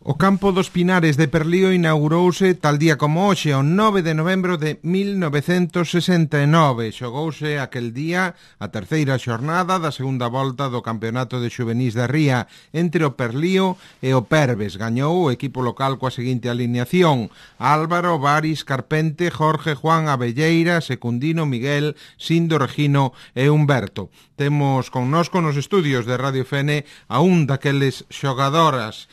O campo dos Pinares de Perlío inaugurouse tal día como hoxe, o 9 de novembro de 1969. Xogouse aquel día a terceira xornada da segunda volta do Campeonato de Xuvenís da Ría entre o Perlío e o Perves. Gañou o equipo local coa seguinte alineación: Álvaro, Varis, Carpente, Jorge, Juan, Abelleira, Secundino, Miguel, Sindo, Regino e Humberto. Temos connosco nos estudios de Radio Fene a un daqueles xogadores,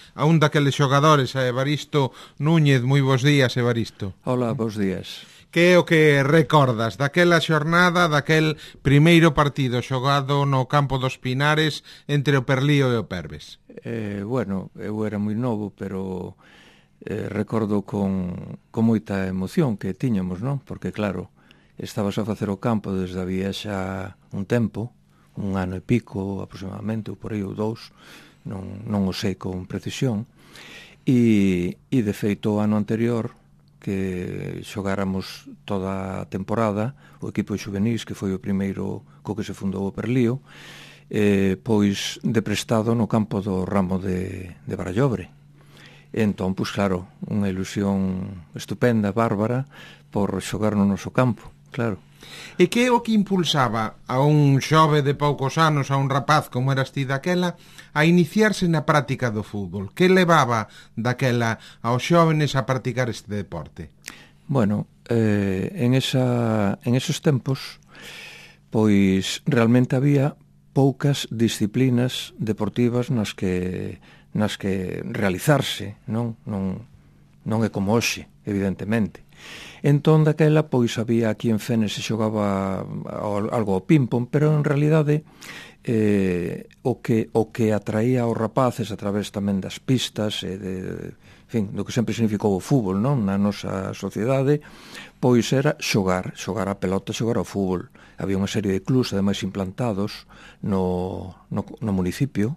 a Evaristo Núñez. Moi bons días, Evaristo. Hola, bons días. Que é o que recordas daquela xornada, daquel primeiro partido xogado no campo dos Pinares entre o Perlío e o Perves? Bueno, eu era moi novo, pero recordo con moita emoción que tiñamos, non? Porque, claro, estabas a facer o campo desde había xa un tempo, un ano e pico aproximadamente, ou por aí ou dous, non o sei con precisión, e de feito o ano anterior que xogáramos toda a temporada o equipo de xuvenís, que foi o primeiro co que se fundou o Perlío, pois de prestado no campo do ramo de Barallobre. Entón, pois claro, unha ilusión estupenda, bárbara, por xogar no noso campo, claro. E que é o que impulsaba a un xove de poucos anos, a un rapaz como eras ti daquela, a iniciarse na práctica do fútbol? Que levaba daquela aos xóvenes a practicar este deporte? Bueno, en esos tempos, pois realmente había poucas disciplinas deportivas nas que realizarse, non é como hoxe, evidentemente. Entón, daquela, pois, había aquí en Fene se xogaba algo ao ping-pong, pero en realidade o que atraía aos rapaces a través tamén das pistas e do que sempre significou o fútbol, non? Na nosa sociedade, pois era xogar a pelota, xogar ao fútbol. Había unha serie de clubs, ademais, implantados no municipio,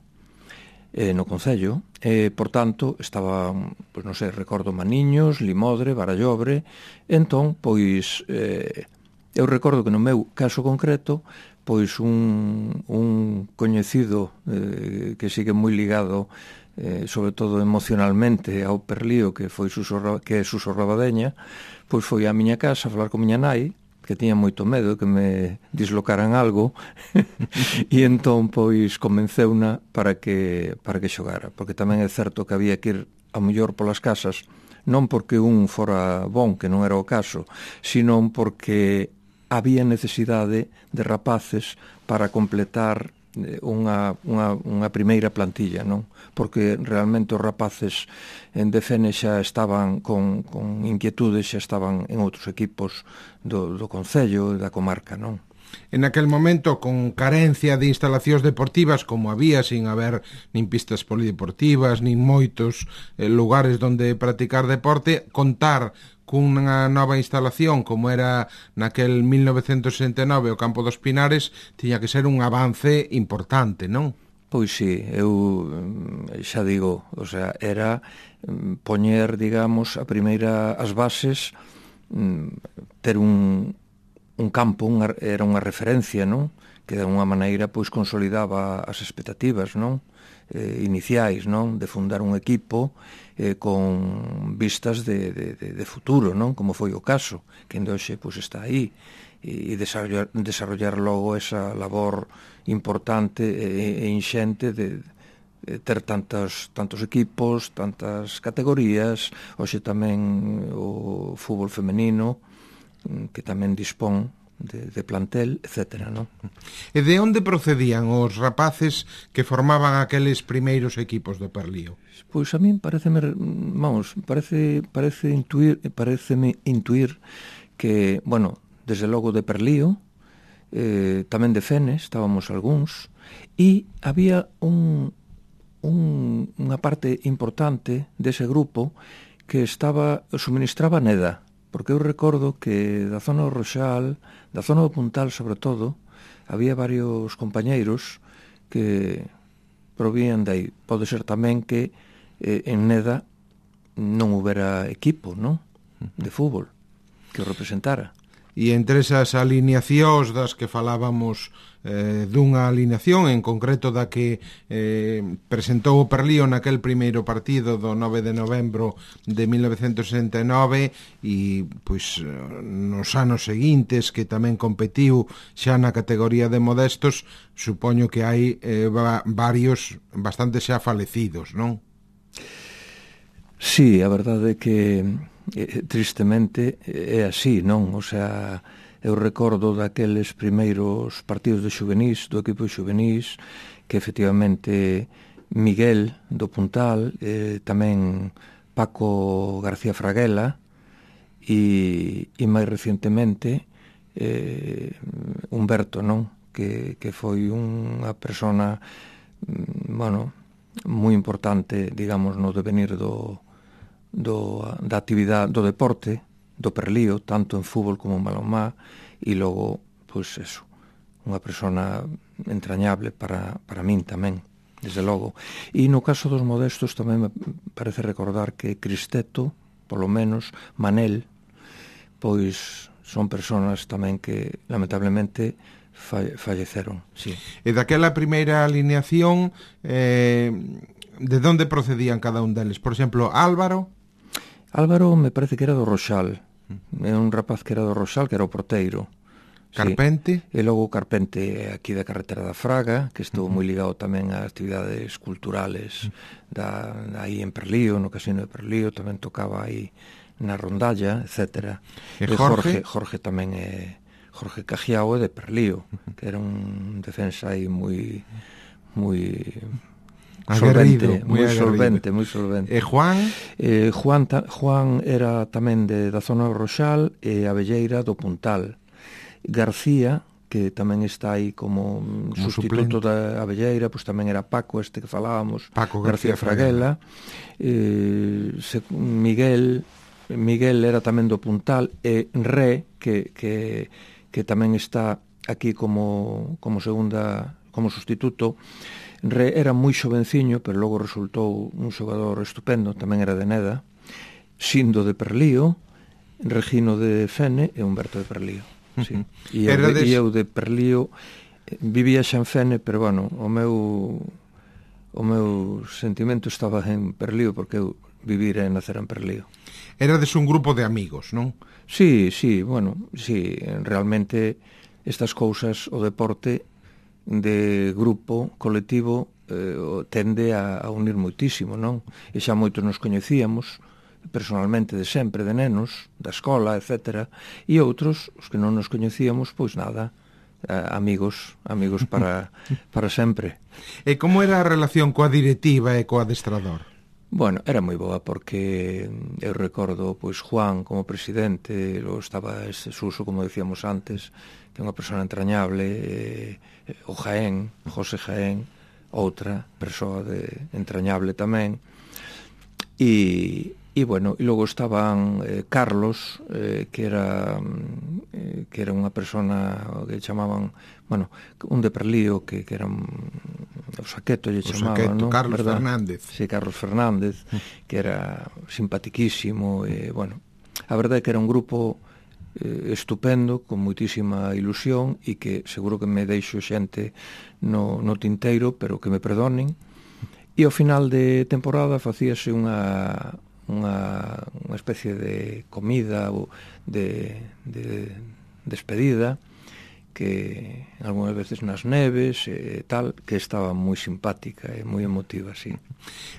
no concello, por tanto, estaba, pois non sei, recordo Maniños, Limodre, Barallobre. Entón, pois, eu recordo que no meu caso concreto, pois un coñecido que sigue moi ligado, sobre todo emocionalmente, ao Perlío, que é Suso Rabadeña, pois foi á miña casa a falar con miña nai, que tiña moito medo que me dislocaran algo, e entón, pois, convenceuna para que xogara, porque tamén é certo que había que ir ao mellor polas casas, non porque un fora bon, que non era o caso, sino porque había necesidade de rapaces para completar unha primeira plantilla, non? Porque realmente os rapaces de Fene xa estaban con inquietudes, xa estaban en outros equipos do concello e da comarca, non? En aquel momento, con carencia de instalacións deportivas, como había, sin haber nin pistas polideportivas, nin moitos lugares onde practicar deporte, contar cunha nova instalación como era naquel 1969 o campo dos Pinares tiña que ser un avance importante, non? Pois sí, eu xa digo, o sea, era poñer, digamos, as bases, ter un campo, era unha referencia, non? Que de alguna maneira pois consolidaba as expectativas, non? Iniciais, non? De fundar un equipo con vistas de futuro, non? Como foi o caso, que hoxe pois está aí, e desarrollar logo esa labor importante e inxente de ter tantos equipos, tantas categorías. Hoxe tamén o fútbol femenino, que tamén dispón de plantel, etcétera, non? E de onde procedían os rapaces que formaban aqueles primeiros equipos do Perlío? Pois a min pareceme intuir que, bueno, desde logo de Perlío, tamén de Fene, estábamos algúns, e había unha parte importante dese grupo que suministraba Neda, porque eu recordo que da zona do Roxal, da zona do Puntal sobre todo, había varios compañeiros que provían de aí. Pode ser tamén que en Neda non houbera equipo, non? De fútbol que o representara. E entre esas alineacións das que falábamos, dunha alineación en concreto da que presentou o Perlío naquel primeiro partido do 9 de novembro de 1969 e pois nos anos seguintes que tamén competiu xa na categoría de modestos, supoño que hai varios bastante xa falecidos, non? Sí, a verdade é que tristemente é así, non? O sea, eu recordo daqueles primeiros partidos de xuvenís, do equipo de xuvenís, que efectivamente Miguel do Puntal, tamén Paco García Fraguela e máis recentemente Humberto, non? Que foi unha persona, bueno, moi importante, digamos, no devenir da actividade do deporte do Perlío, tanto en fútbol como en balonmá, e logo, pois eso, unha persona entrañable para min tamén, desde logo. E no caso dos modestos tamén me parece recordar que Cristeto, polo menos, Manel, pois son personas tamén que lamentablemente falleceron, sí. E daquela primeira alineación, de onde procedían cada un deles? Por exemplo, Álvaro me parece que era do Roxal. É un rapaz que era do Roxal, que era o porteiro. Carpente. Sí. E logo o Carpente aquí da carretera da Fraga, que estou moi ligado tamén a actividades culturales aí en Perlío, no casino de Perlío, tamén tocaba aí na rondalla, etc. E Jorge? Jorge tamén é Jorge Cajiao de Perlío, que era un defensa aí moi solvente, moi solvente. E Juan? Juan era tamén da zona do Roxal e Abelleira do Puntal. García, que tamén está aí como sustituto da Abelleira, pois tamén era Paco, este que falábamos, Paco García Fraguela. Miguel era tamén do Puntal, e Ré, que tamén está aquí como sustituto. Re era moi xovenciño, pero logo resultou un xogador estupendo, tamén era de Neda, Sindo de Perlío, Regino de Fene e Humberto de Perlío. Sí. E eu de Perlío vivía xa en Fene, pero bueno, o meu sentimento estaba en Perlío, porque eu vivira e nacer en Perlío. Erades un grupo de amigos, non? Sí, bueno, sí, realmente estas cousas, o deporte de grupo, colectivo, tende a unir moitísimo, non? E xa moitos nos coñecíamos personalmente de sempre, de nenos, da escola, etc. E outros, os que non nos coñecíamos, pois nada, amigos para sempre. E como era a relación coa directiva e coa adestrador? Bueno, era moi boa, porque eu recordo, pois, Juan como presidente, logo estaba ese Suso, como decíamos antes, que é unha persona entrañable, o Jaén, José Jaén, outra persoa entrañable tamén, e bueno, e logo estaban Carlos, que era unha persona que chamaban, bueno, un de Perlío, que era o Saqueto lle chamaban, non? Carlos Fernández. Sí, Carlos Fernández, que era simpatiquísimo, e bueno, a verdade é que era un grupo estupendo, con moitísima ilusión, e que seguro que me deixo xente no tinteiro, pero que me perdonen. E ao final de temporada facíase unha especie de comida ou de despedida, que algunhas veces nas neves e tal, que estaba moi simpática e moi emotiva, sí.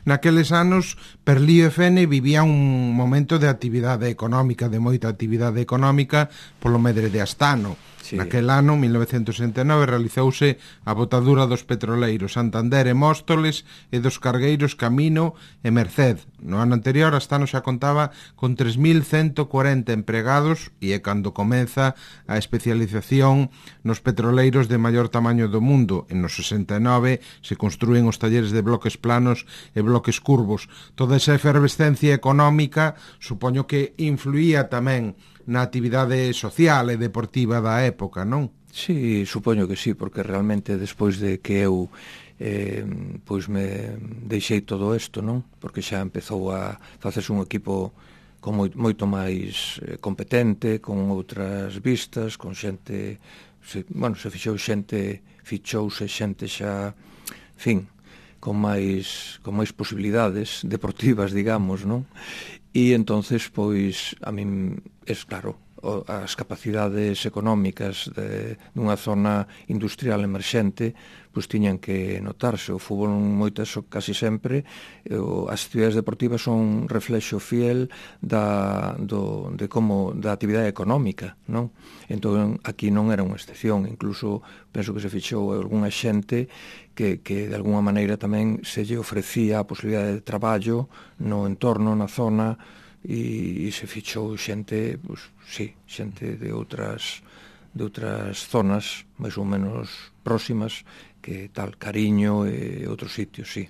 Naqueles anos, Perlío e Fene vivía un momento de actividade económica, de moita actividade económica polo medre de Astano. Sí. Naquel ano, 1969, realizouse a botadura dos petroleiros Santander e Móstoles e dos cargueiros Camino e Merced. No ano anterior, Astano xa contaba con 3.140 empregados e é cando comeza a especialización nos petroleiros de maior tamaño do mundo. En nos 69 se construen os talleres de bloques planos e bloques curvos. Toda esa efervescencia económica supoño que influía tamén na actividade social e deportiva da época, non? Sí, supoño que sí, porque realmente despois de que eu pois me deixei todo isto, non? Porque xa empezou a facerse un equipo moito máis competente, con outras vistas, con xente, se fichouse xente xa, en fin, con máis posibilidades deportivas, digamos, non? E entonces, pois, a min, claro, as capacidades económicas dunha zona industrial emerxente pois tiñan que notarse. O fútbol casi sempre, as actividades deportivas son reflexo fiel da actividade económica, non? Entón aquí non era unha excepción, incluso penso que se fixou algunha xente que de alguna maneira tamén se lle ofrecía a posibilidade de traballo no entorno, na zona, e se fichou xente, pois, sí, xente de outras zonas máis ou menos próximas, que tal Cariño e outros sitios, sí.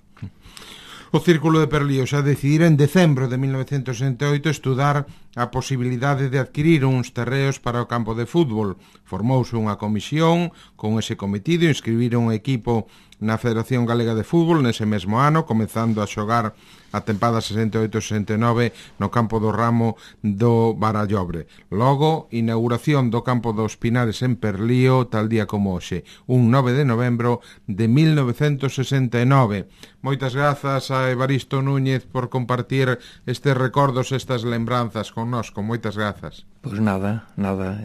O Círculo de Perlío xa decidira en decembro de 1968 estudar a posibilidade de adquirir uns terreos para o campo de fútbol. Formouse unha comisión con ese cometido, inscribiron un equipo na Federación Galega de Fútbol nese mesmo ano, comezando a xogar a tempada 68-69 no campo do Ramo do Barallobre. Logo, inauguración do campo dos Pinares en Perlío, tal día como hoxe, un 9 de novembro de 1969. Moitas grazas a Evaristo Núñez por compartir estes recordos, estas lembranzas connosco. Moitas grazas. Pois nada,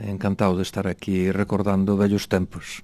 encantado de estar aquí recordando vellos tempos.